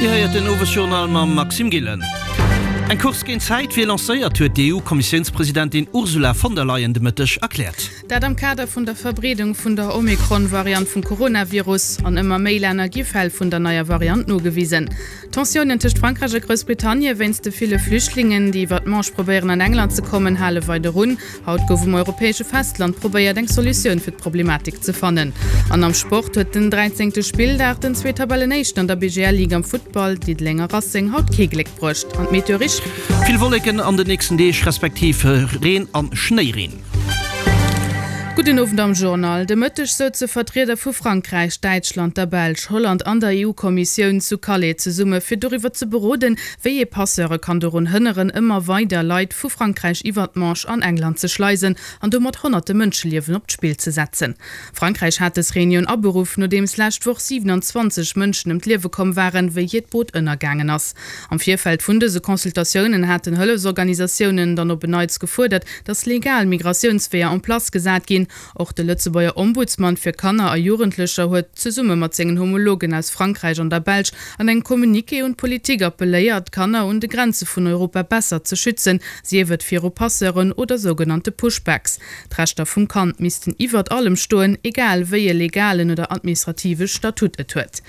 Dir héiert den Owesjournal mam Maxime Gillen. Eng Course géint d'Zäit wier lancéiert, huet d'EU-Kommissiounspresidentin Ursula von der Leyen de Mëtteg erkläert. Dat am Kader vun der Verbreedung vun der Omikron-Variant vum Coronavirus. An ëmmer méi Länner gi Fäll vun der neier Variant nogewisen. D'Tensiounen tëscht Frankräich a Groussbritannie wéinst de ville Flüchtlingen, déi iwwer d'Manche probéieren an England ze kommen, hale weider un. Haut gouf um europäesche Festland probéiert, eng Solutioun fir d'Problematik ze fannen. An am Sport huet den dräizéngte Spilldag den zwee Tabellenéischten an der BGL-Ligue am Futtball, Diddeleng a Racing, haut kee Gléck bruecht. An d'Meteo Risch. Vill Wolleken an den nächsten Deeg, respektiv Reen an Schnéireen. Gudden Owend am Journal. De Mëtteg souze Vertrieder vu Frankräich, Däitschland, der Belsch, Holland an der EU-Kommissioun zu Calais zesumme fir doriwwer ze beroden, wéi ee Passeure kann dorun hënneren, ëmmer weider Leit vu Frankräich iwwer d'Manche an England ze schleisen an domat honnerte Mënscheliewen op d'Spill ze setzen. Frankräich hat dës Reunioun aberuff, nodeems lescht Woch 27 Mënschen ëm d'Liewe komm waren, wéi hiert Boot ënnergaangen ass. Am Virfeld vun dëse Consultatiounen haten Hëllefsorganisatiounen dann op en Neits gefuerdert, datt legal Migratiounsweeër en place gesat ginn. Och de Lëtzebuerger Ombudsman fir Kanner a Jugendlecher huet, zesumme mat sengen Homologen aus Frankräich an der Belsch, an engem Communiqué un d'Politik appelléiert, d'Kanner un de Grenze vun Europa besser ze schützen, sief et viru Passeuren oder sougenannte Pushbacks. D'Rechter vum Kand missten iwwert allem stoen, egal wéi e legalen oder administrative Statut et huet.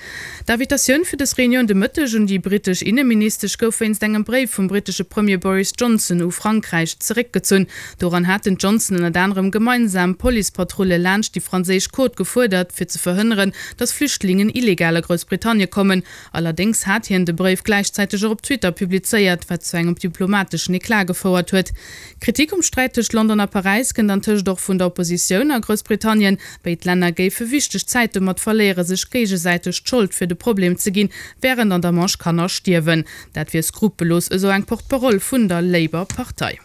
D'Invitatioun fir dës Reunioun de Mëtteg un déi brittesch Inneministesch gouf wéinst engem Bréif vum brittesche Premier Boris Johnson u Frankräich zeréckgezunn. Doran hat den Johnson ënnert anerem gemeinsam Policepatrulle laanscht déi franséisch Côte gefuerdert, fir ze verhënneren, datt Flüchtlingen illegal a Groussbritannie kommen. Allerdéngs hat hien de Bréif gläichzäiteg och op Twitter publizéiert, wat zu engem diplomateschen Eclat gefouert huet. Kritik um Sträit tëscht London a Paräis kënnt antëscht och vun der Oppositioun a Groussbritannien. Béid Länner géife wichteg Zäit domat verléiere sech géigesäiteg d'Schold fir de Problem ze ginn, wärend an der Manche Kanner stierwen. Dat wier skrupellos, esou eng Porte-parole vun der Labour-Partei.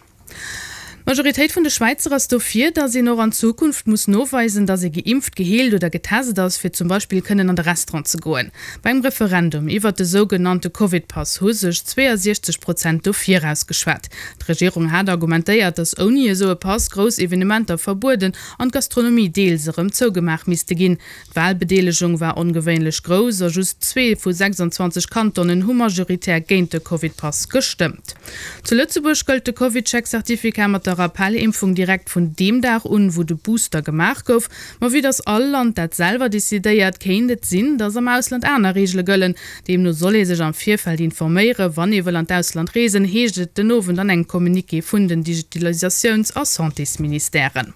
D'Majoritéit vun de Schwäizer ass dofir, datt een och an Zukunft muss noweisen, datt ee geimpft, geheelt oder getest ass, fir zum Beispill kënnen an de Restaurant ze goen. Beim Referendum iwwert de sougenannte Covid-Pass hu sech 62 Prozent dofir ausgeschwat. D'Regierung hat argumentéiert, datt ouni esou e Pass grouss Evenementer verbueden an d'Gastronomie deels erëm zougemaach misste ginn. D'Walbedeelegung war ongewéinlech grouss a just zwee vu 26 Kantonen hu majoritär géint de Covid-Pass gestëmmt. Zu Lëtzebuerg gëllt de CovidCheck-Certificat mat der Rappel-Impfung direkt vun deem Dag un, wou de Booster gemaach gouf. Ma vue dass all Land dat selwer decidéiert, kéint et sinn, dass am Ausland aner Reegele gëllen. Deemno soll ee sech am Virfeld informéieren, wann ee wëll an d'Ausland reesen, heescht et den Owend an engem Communiqué vun den Digitalisatiouns a Santésministèren.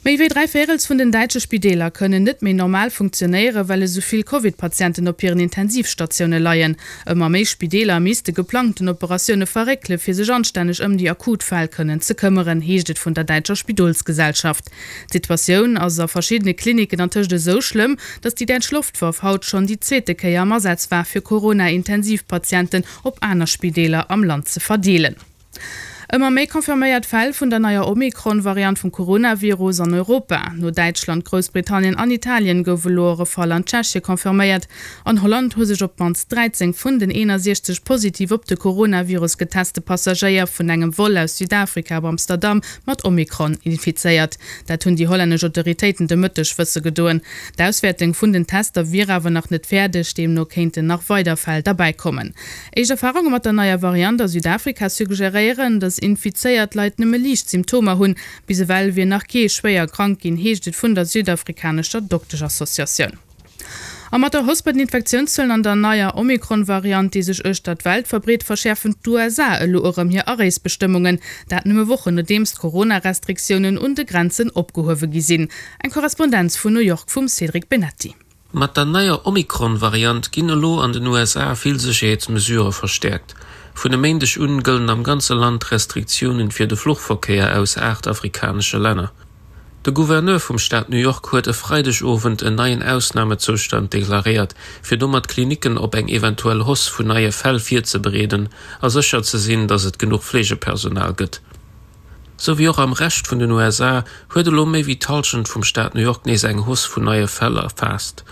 Méi wéi 3 Véirels vun den däitsche Spideeler kënnen net méi normal funktionéieren, well esou vill Covid-Patienten op hiren Intensivstatioune leien. Ëmmer méi Spideeler misste geplangten Operatioune verréckele fir sech anstänneg ëm déi akut Fäll kënnen ze këmmeren, heescht et vun der däitscher Spidolsgesellschaft. D'Situatioun ass a verschiddene Klinicken antëscht esou schlëmm, datt déi däitsch Loftwaff haut schonn déi zweete Kéier am Asaz war, fir Corona-Intensivpatienten op aner Spideeler am Land ze verdeelen. Ëmmer méi confirméiert Fäll vun der neier Omikron-Variant vum Coronavirus an Europa. No Däitschland, Groussbritannien an Italien gouf elo och e Fall an Tschechie confirméiert. An Holland hu sech op d'mannst 13 vun den 61 positiv op de Coronavirus geteste Passagéier vun engem Vol aus Südafrika op Amsterdam mat Omikron infizéiert. Dat hunn déi hollännesch Autoritéiten de Mëtteg wësse gedoen. D'Auswäertung vun den Tester wier awer nach net fäerdeg, deemno kéinten nach weider Fäll derbäi kommen. Éischt Erfarunge mat der neier Variant a Südafrika suggeréieren, datt infizéiert Leit nëmme liicht Symptomer hunn. Bis ewell wier nach kee schwéier krank ginn, heescht et vun der südafrikanescher Dokteschassociatioun. A mat der Hausse bei den Infektiounszuelen an der neier Omikron-Variant, déi sech uechter d'Welt verbreet, verschäerfen d'USA elo erëm hir Areesbestëmmungen. Dat nëmme Wochen nodeems d'Corona-Restriktiounen un de Grenzen opgehuewe gi sinn. Eng Korrespondenz vun New York vum Cédric Benetti. Mat der neier Omikron-Variant ginn elo an den USA vill Sécherheetsmesurë verstäerkt. Vun e Méindeg un gëllen am ganze Land Restriktiounen fir de Fluchverkéier aus 8 afrikanesche Länner. De Gouverneur vum Staat New York huet e Freidegowend en neien Ausnamezoustand deklaréiert, fir domat d'Klinicken op eng eventuell Hausse vun neie Fäll virzebereeden a sécher ze sinn, datt et genuch Fleegepersonal gëtt. Sou wéi och am Rescht vun den USA huet elo méi wéi d'Hallschent vum Staat New York nees eng Hausse vun neie Fäll erfaasst.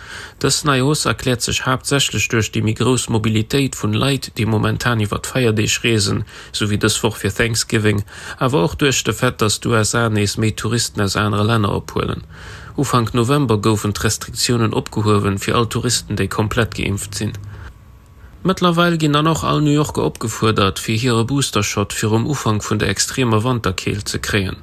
Dës nei Hausse erkläert sech haaptsächlech duerch déi méi grouss Mobilitéit vun Leit, déi momentan iwwer d'Feierdeeg reesen, sou wéi dës Woch fir Thanksgiving, awer och duerch de Fait, datt d'USA nees méi Touristen aus anere Länner ophuelen. Ufank November goufen d'Restriktiounen opgehuewen fir all Touristen, déi komplett geimpft sinn. Mëttlerweil ginn dann och all New Yorker opgefuerdert, fir hire Booster-Shot virum Ufank vun der extremer Wanterkeelt ze kréien.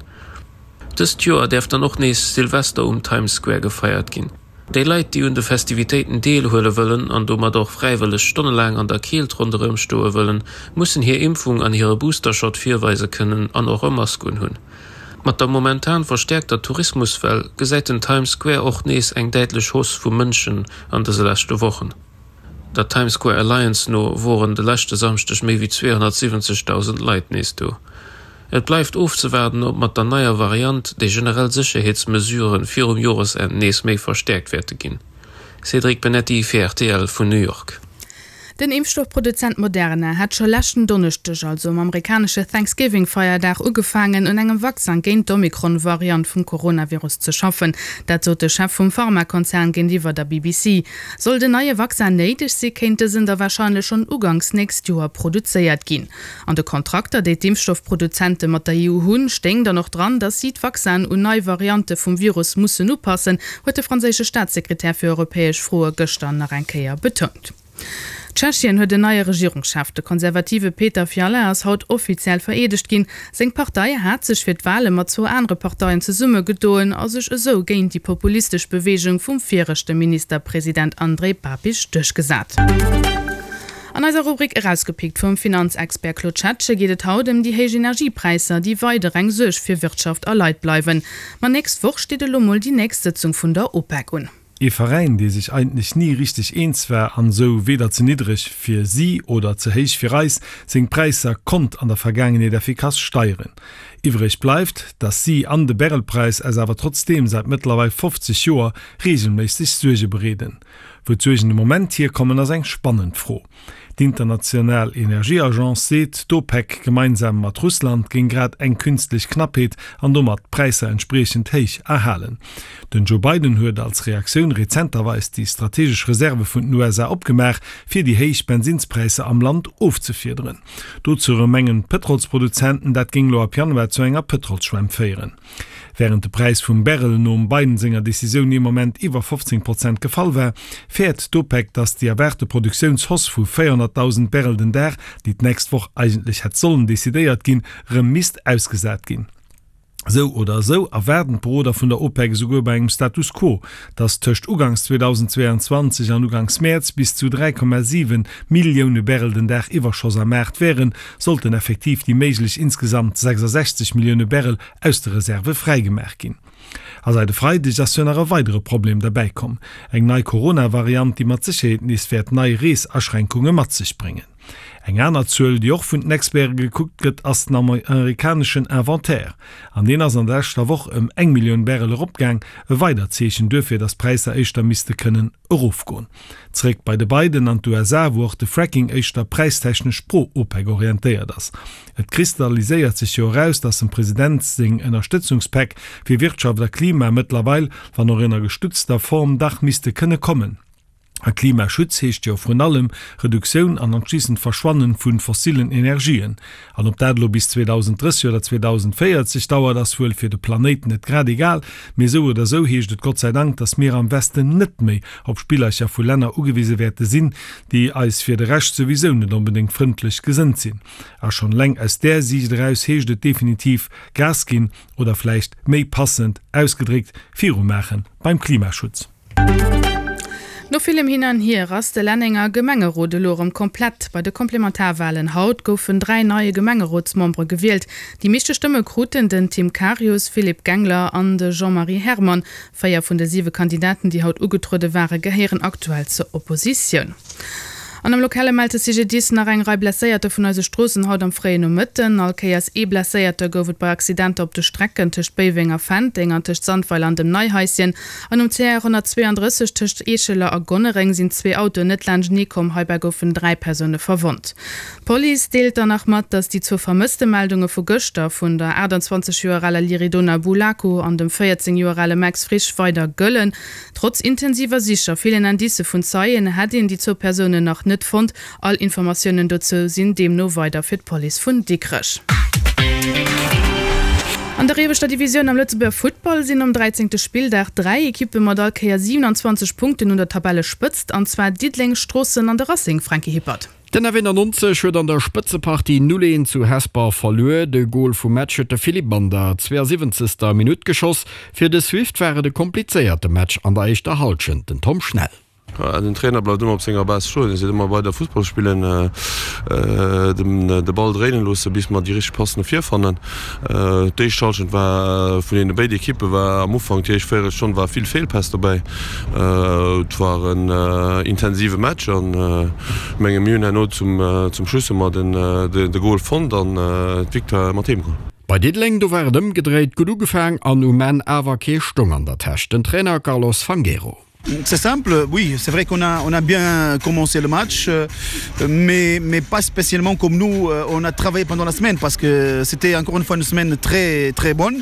Dëst Joer däerf dann och nees Silvester um Times Square gefeiert ginn. Déi Leit, déi un de Festivitéiten deelhuele wëllen an domat och fräiwëlleg stonnelaang an der Keelt ronderëm stoe wëllen, mussen hir Impfung an hire Booster-Shot virweise kënnen an och e Mask unhunn. Mat der momentan verstäerkter Tourismuswell gesäit den Times Square och nees eng däitlech Hausse vu Mënschen an dëse leschte Wochen. Der Times Square Alliance no woren de leschte Samschdeg méi wéi 270.000 Leit nees do. Et bleift ofzewaarden, ob mat der neier Variant déi generell Sécherheetsmesurë virum Joresenn nees méi verstäerkt wäerte ginn. Cédric Benetti fir rtl vun New York. Den Impfstoffproduzent Moderna hat scho leschten Donneschdeg, also um amerikanesche Thanksgiving-Feierdag, ugefaangen, un engem Vaccin géint d'Omikron-Variant vum Coronavirus ze schaffen. Dat sot de Chef vum Pharmakonzern géintiwwer der BBC. Sollt en neie Vaccin néideg si, kéint dësen da warscheinlech schonn uganks nächst Joer produzéiert ginn. An de Kontrakter, déi d'Impfstoffproduzente mat der EU hunn, stéing dann och dran, datt si d'Vaccinen un nei Variante vum Virus mussen upassen, huet de franséische Staatssekretär fir europäesch Froe gëschter nach eng Kéier betount. Tschechien huet en neie Regierungschef. De konservative Petr Fiala ass haut offiziell vereedegt ginn. Seng Partei hat sech fir d'Wale mat zwou anere Parteien zesummegedoen a sech esou géint déi populistesch Beweegung vum viregte Ministerpresident Andrej Babiš duerchgesat. An eiser Rubrik Erausgepickt vum Finanzexpert Claude Schettgen geet et haut ëm déi héich Energiepräisser, déi weider eng Suerg fir Wirtschaft a Leit bleiwen. Ma nächst Woch steet elo mol déi nächst Sëtzung vun der OPEC un. Ee Veräin, dee sech eigentlech ni richteg eens war an esou weder ze niddreg fir si oder ze héich fir eis seng Präisser konnt an der Vergaangenheet effikass steieren. Iwwreg bleift, dass si an de Barrelpräis eis awer trotzdeem säit mëttlerweil 50 Joer regelméisseg Suerge bereeden. Wou d'Suergen de Moment hierkommen, ass eng spannend Fro. D'International Energieagence seet, d'OPEC gemeinsam mat Russland géing grad eng künstlech Knappheet an domat d'Präisser entspriechend héich erhalen. Den Joe Biden huet als Reaktioun rezenterweis déi strategesch Reserve vun den USA opgemaach, fir déi héich Bensinnspräisser am Land ofzefiederen. Dozou erëm mengen d'Pëtrolsproduzenten, dat géing lo ab Januar zu enger Pëtrolsschwämm féieren. Wärend de Präis vum Barrel nom Biden senger Decisioun ee Moment iwwer 15 Prozent gefall war, fäert d'OPEC, datt déi erwaarte Produktiounshausse vu 400.000 Barrel den Dag, déi d'nächst Woch eigentlech hätt sollen decidéiert ginn, rëm misst ausgesat ginn. Esou oder esou erwaarden d'Beroder vun der OPEC esouguer bei engem Status quo, datt tëscht uganks 2022 an uganks Mäerz bis zu 3,7 Millioune Barrel den Dag Iwwerschoss am Maart wären, sollten effektiv déi méiglech insgesamt 66 Millioune Barrel aus de Reserve fräigemaach ginn. A säit e Freideg ass jo nach e weidere Problem derbäi komm, eng nei Corona-Variant, déi mat Sécherheet nees wäert nei Reesaschränkunge mat sech bréngen. Eng aner Zuel, déi och vun den Experte gekuckt gëtt, ass den amerikaneschen Inventaire. An deen ass an der leschter Woch ëm eng Millioun Barrel eropgaang, e weidert Zeechen duerfir, datt d'Präisser éischter misste kënnen erofgoen. Zeréck bei de Biden an d'USA, wou och de Fracking éischter präistechnesch pro-OPEC orientéiert ass. Et kristalliséiert sech jo eraus, datt dem President seng Ënnerstëtzungspäck fir Wirtschaft a Klima mëttlerweil, wann och ënner gestutzter Form, dach misste kënne kommen. A Klimaschutz heescht jo vrun allem Reduktioun an anschliissend Verschwannen vu fossillen Energien. An ob dat elo bis 2030 oder 2040 dauert, ass wuel fir de Planéit net grad egal. Mee esou oder esou heescht et Gott sei Dank, dass mir am Westen net méi op Spillercher vu Länner ugewise wäerte sinn, déi eis fir de Rescht souwisou net onbedéngt frëndlech gesënnt sinn. A schonn eleng aus där Siicht eraus heescht et definitiv Gas ginn, oder vläicht méi passend ausgedréckt, virumaache beim Klimaschutz. No villem Hin an Hier ass de Lennenger Gemengerot elo erëm komplett. Bei de Komplementarwalen haut goufen 3 neie Gemengerotsmembere gewielt. Déi meeschte Stëmme kruten den Tim Karius, Philippe Gengler an de Jean-Marie Herrmann. 4 vun de 7 Kandidaten, déi haut ugetruede ware, gehéieren aktuell zur Oppositioun. An am Lokale mellt de CGDIS nach eng Rei Blesséierter vun eise Stroossen haut am fréien Nomëtten. All Kéiers ee Blesséierte gouf et bei Accidenter op de Strecken tëscht Béiweng a Fenteng an tëscht Sandweiler an dem Neihaischen. An um CR 132 tëscht Eescheler a Gonnereng sinn zwee Autoen net laanschtenee komm. Heibäi goufen 3 Persoune verwonnt. D'Police deelt dann nach mat, datt déi zwou Vermësstemeldunge vu gëschter vun der 28 Joer aler Liridona Bulaku an dem 14 Joer ale Max Frisch weider gëllen. Trotz intensiver Sich a villen Indicë vun Zeien hätt een déi zwou Persounen nach net fonnt. All Informatiounen dozou sinn deemno weider fir d'Police vun Dikrech. An der ieweschter Divisioun am Lëtzebuerger Futtball sinn nom 13. Spilldag 3 Ekippe mat all Kéier 27 Punkten un der Tabellespëtzt, an zwar Diddeleng, Stroossen an de Racing, Franky Hippert. Den F91 huet an der Spëtzepartie 0, 1 zu Hesper verluer. De Gol vum Match huet de Philippe an der 72. Minutt geschoss. Fir de Swift war et e komplizéierte Match an der éischter Hallschent. Den Tom Schnell. Den Trainer bleift ëmmer op senger Base stoen. Hie seet ëmmer weider Fussball spillen, de Ball dréinen loossen, bis mer déi richteg Pass no vir fannen. D'éischt Hallschent war vun deene béid Ekippe war am Ufank, déi éischt Véierelstonn war vill Feelpäss dobäi. Et war en intensive Match an ech menge mir hunn herno zum Schluss hu mer de Gol fonnt an d'Victoire mat heem geholl. Bei Diddeleng, do war et ëmgedréit, gutt ugefaang an um Enn awer kee Stong an der Täsch. Den Trainer Carlos Fangueiro. C'est simple, oui, c'est vrai qu'on a, on a bien commencé le match, euh, mais, mais pas spécialement comme nous, euh, on a travaillé pendant la semaine parce que c'était encore une fois une semaine très, très bonne.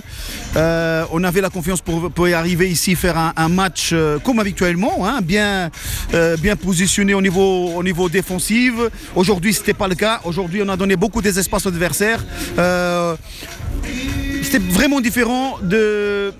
Euh, on avait la confiance pour, pour y arriver ici faire un, un match euh, comme habituellement, hein, bien, euh, bien positionné au niveau, au niveau défensif. Aujourd'hui, ce n'était pas le cas. Aujourd'hui, on a donné beaucoup des espaces aux adversaires. Euh, c'était vraiment différent de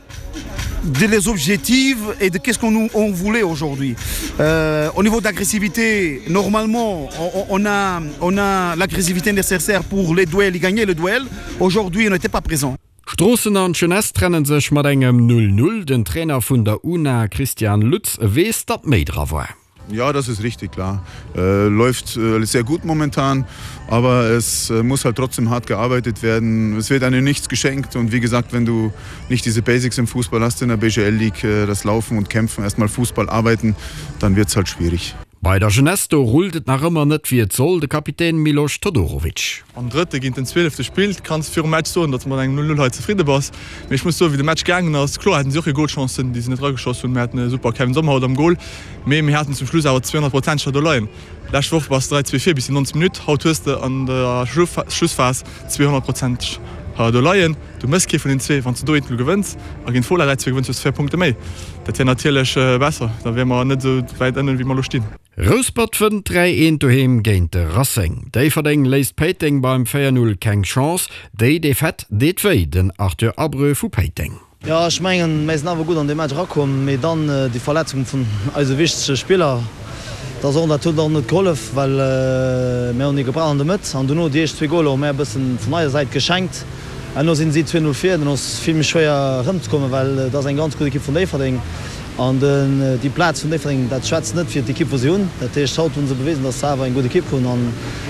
de les objectifs et de qu'est-ce qu'on on voulait aujourd'hui. Euh, au niveau d'agressivité, normalement, on, on a, on a l'agressivité nécessaire pour les duels et gagner le duel. Aujourd'hui, on n'était pas présent. Stroossen an d'Jeunesse trenne sech mat engem 0, 0. Den Trainer vun der UNA Christian Lutz weess, datt méi dra war. Ja, das ist richtig klar. Äh, läuft äh, sehr gut momentan, aber es äh, muss halt trotzdem hart gearbeitet werden. Es wird einem nichts geschenkt und wie gesagt, wenn du nicht diese Basics im Fußball hast in der BGL League, äh, das Laufen und Kämpfen, erstmal Fußball arbeiten, dann wird es halt schwierig. Bei der Jeunesse do rullt et nach ëmmer net wéi et soll, de Kapitän Miloš Todorovic. Am Drëtte géint den Zwielefte spillt, kanns virum Match soen, datt s de mat engem 0, 0 hei zefridde bass. Mee ech muss soen, wéi de Match gaangen ass, kloer haten si och hir Golchancen, déi se net erageschoss hunn. Mir haten e super Kevin Sommer haut am Gol, mee mir haten zum Schluss awer 200 Prozentcher do leien. Lescht Woch bass de 3, 2 vir bis déi 90 Minutt, haut hues de an der Schlussphas 200 Prozentcher do leien. Du méchs kee vun den zwee. Wann s de do eent 0 gewënns a géint Fola 3, 2 gewënns, hues de 4 Punkte méi. Dat wär natierlech besser, da wiere mer net esou wäit ënnen, wéi mer elo stinn. Rouspert wënnt 3, 1 doheem géint de Racing. Déifferdeng léisst Péiteng beim 4, 0 keng Chance. Déi Defaite deet wéi, den Arthur Abreu vu Péiteng. Jo, ech mengen, mir sinn awer gutt an dee Match erakomm, mee dann déi Verletzung vun eise wichtege Spiller, dat ass och, dat huet och net gehollef, well mir hunn ee gebraucht an der Mëtt an dono déi éischt zwee Goler hu mär e bëssen vun eiser Säit geschenkt. Herno sinn si 2, 0 vir, dann ass vill méi schwéier erëmzekommen, well et ass eng ganz gutt Ekipp vun Déifferdeng an déi Plaz vun Déifferdeng, dat schwätzt net fir d'Ekipp wou si hunn. Dat heescht, haut hu se bewisen, datt se awer eng gutt Ekipp hunn an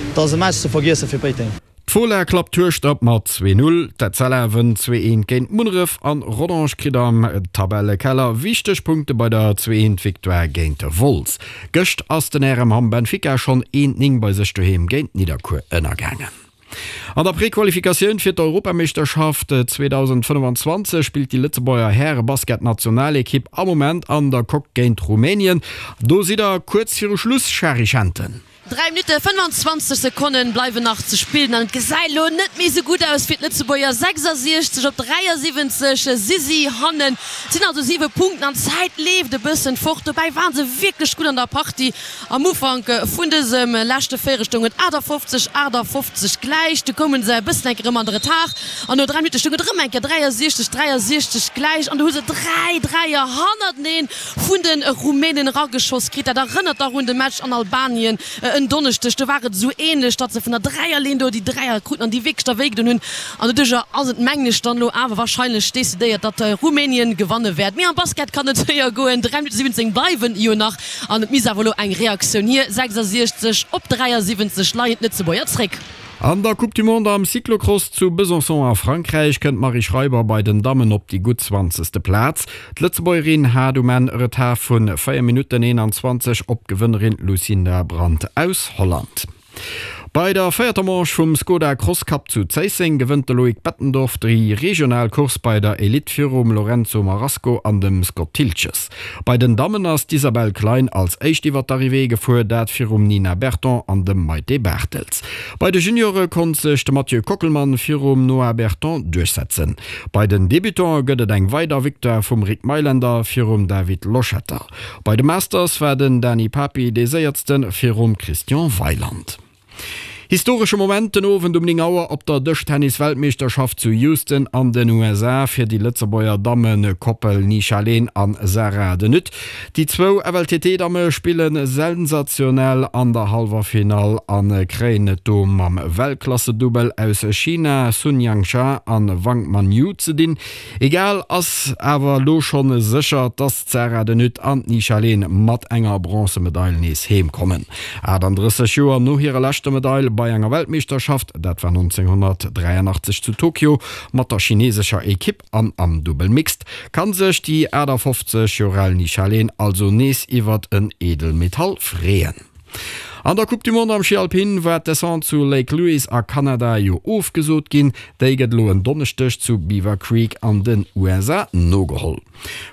et ass e Match ze vergiessen fir Péiteng. D'Fola klappt Hueschtert mat 2, 0, d'Etzella wënnt 2, 1 géint Munneref an Rodange kritt am Tabellekeller wichteg Punkte bei der 2, 1 Victoire géint Wolz. Gëscht ass den RM Hamm Benfica schonn 1, 9 bei sech doheem géint Nidderkuer ënnergaangen. An der Prequalifikatioun fir d'Europameeschterschaft 2025 spillt déi Lëtzebuerger Häre-Basketnationalekipp am Moment an der Coque géint Rumänien. Do sidd der kuerz viru Schluss, Shari Schenten. 3 Minutte 25 Sekonnen bleiwen nach ze spillen an et gesäit elo net méi sou gutt aus fir d'Lëtzebuerger. 66 op 73 si si hannen. Et sinn also 7 Punkten an d'Zäit leeft e bëssen fort. Dobäi waren se wierklech gutt an der Partie. Am Ufank vun dësem leschte Véierel stoung et 58, 58 gläich. Du koume se e bëssen enk erëm an de Retard an no 3 Minutte stoung et erëm eng Kéier 63, 63 gläich an du hu se 3 Dräier hannerteneen vun de Rumänen erageschoss kritt. Dat erënnert dach un de Match an Albanien en Donneschdeg. Do war et esou änlech, datt se vun der Dräierlinn do déi Dräier kruten an déi wierklech da wéigedoen hunn. An doduercher ass et, mengen ech, dann elo awer warscheinlech decidéiert, datt Rumänien gewanne wäert. Mee am Basket kann et séier goen. 3 Minutte 17 bleiwen jo nach an et misst awer elo eng Reaktioun hier. 66 op 73 leien d'Lëtzebuerger zréck. An der Coupe du Monde am Cyclocross zu Besançon a Frankräich kënnt d'Marie Schreiber bei den Dammen op déi gutt zwanzegste Plaz. D'Lëtzebuergerin hat um Enn e Retard vu 4 Minutten 21 op d'Gewënnerin Lucinda Brand aus Holland. Bei der véierter Manche vum Skoda Cross Cup zu Zéisseng gewënnt de Loïc Bettendorf déi regional Course bei der Elite virum Lorenzo Marasco an dem Scott Thiltges. Bei den Dammen ass d'Isabelle Klein als éischt iwwer d'Arrivée gefuer, dat virum Nina Berton an dem Maite Bartels. Bei de Juniore konnt sech de Mathieu Kockelmann virum Noah Berton duerchsetzen. Bei den Debutante gëtt et eng weider Victoire vum Rick Meylender virum David Loschetter. Bei de Masters war den Dany Papi dee séiertste virum Christian Weyland. Historesche Moment den Owend um 9 Auer op der Dëschtennis-Weltmeeschterschaft zu Houston an den USA fir déi Lëtzebuerger Dammekoppel Nisha Lehn an Sarah De Nutte. Déi zwou FLTT-Damme spille sensationell an der Hallwerfinall a kréien et do mam Weltklassedubbel aus China Sun Yangsha an Wang Manyu ze dinn. Egal, ass awer elo schonn sécher, dass d'Sarah De Nutte an d'Nisha Lehn mat enger Bronzemedail nees heem kommen. 38 Joer no hirer leschter Medail bei enger Weltmeeschterschaft, dat war 1983 zu Tokio mat der chinesescher Ekipp an am Dubbel Mixed, kann sech déi 58 Joer al Nisha Lehn also nees iwwert en Edelmetall freeën. An der Coupe du Monde am Schi Alpin war d'Descente zu Lake Louise a Kanada jo ofgesot ginn. Déi gëtt elo en Donneschdeg zu Beaver Creek an den USA nogeholl.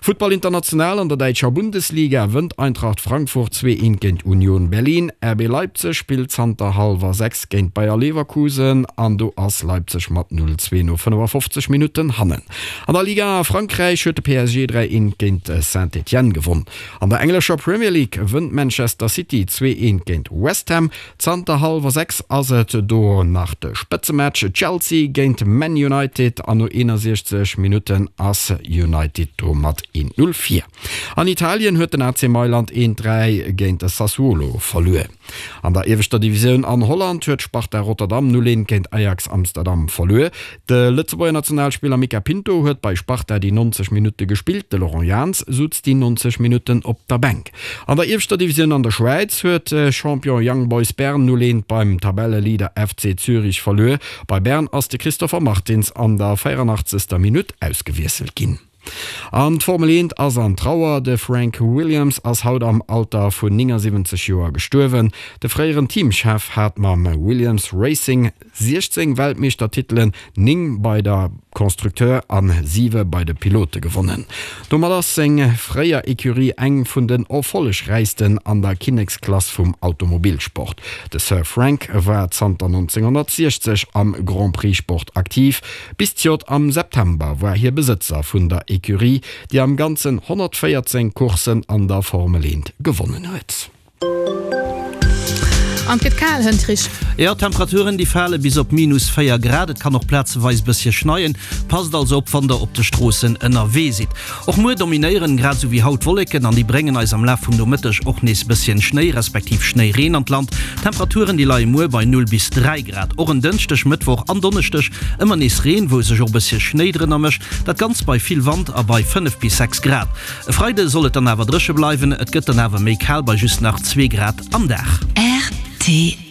Futtball international, An der däitscher Bundesliga wënnt Eintracht Frankfurt 2, 1 géint Union Berlin. RB Leipzig spillt zanter hallwer 6 géint Bayer Leverkusen an do ass Leipzig mat 0, 2 no 55 Minutten hannen. An der Liga a Frankräich huet de PSG 3, 1 géint Saint-Étienne gewonn. An der englescher Premier League wënnt Manchester City 2, 1 géint West Ham. Zanter hallwer 6 ass et do nach de Spëtzematch Chelsea géint Man United an no 61 Minutten ass United do mat 1, 0 vir. An Italien huet den AC Mailand 1, 3 géint de Sassuolo verluer. An der ieweschter Divisioun an Holland huet Sparta Rotterdam 0, 1 géint Ajax Amsterdam verluer. De Lëtzebuerger Nationalspiller Mica Pinto huet bei Sparta déi 90 Minutte gespillt, de Laurent Jans sutz déi 90 Minutten op der Bänk. An der ieweschter Divisioun an der Schwäiz huet Champion Young Boys Bern 0, 1 beim Tabelleleader FC Zürich verluer. Bei Bern ass de Christopher Martins an der 84. Minutt ausgewiesselt ginn. An d'Formel 1 ass an Trauer, De Frank Williams ass haut am Alter vun 79 Joer gestuerwen. De fréieren Teamchef hat mam Williams Racing 16 Weltmeeschtertitelen, 9 bei der Constructeur an 7 bei de Pilote gewonnen. Domat ass seng fréier Ecurie eng vun den erfollegräichsten an der Kinneksklass vum Automobilsport. De Sir Frank war zanter 1960 am Grand-Prix-Sport aktiv. Bis d'Jott am September war hie Besëtzer vun der Ecurie, déi am Ganzen 114 Courssen an der Formel 1 gewonnen huet. An et gëtt kal, hënt Rich. Jo, d'Temperaturen déi fale bis op minus 4 Grad. Et kann och plazeweis bëssche schneien. Passt also op, wann der op de Stroossen ënnerwee sidd. Och muer dominéieren grad esou wéi haut Wolleken an déi bréngen eis am Laf vum Nomëtteg och nees bësschen Schnéi respektiv Schnéireen an d'Land. D'Temperaturen déi leie muer bei 0 bis 3 Grad. Och en Dënschdeg, Mëttwoch an Donneschdeg ëmmer nees Reen, wou sech och bëssche Schnéi drënner mëscht. Dat Ganzt bei vill Wand a bei 5 bis 6 Grad. E Freide soll et dann awer dréche bleiwen, et gëtt dann awer méi kal bei just nach 2 Grad am Dag. Rtl.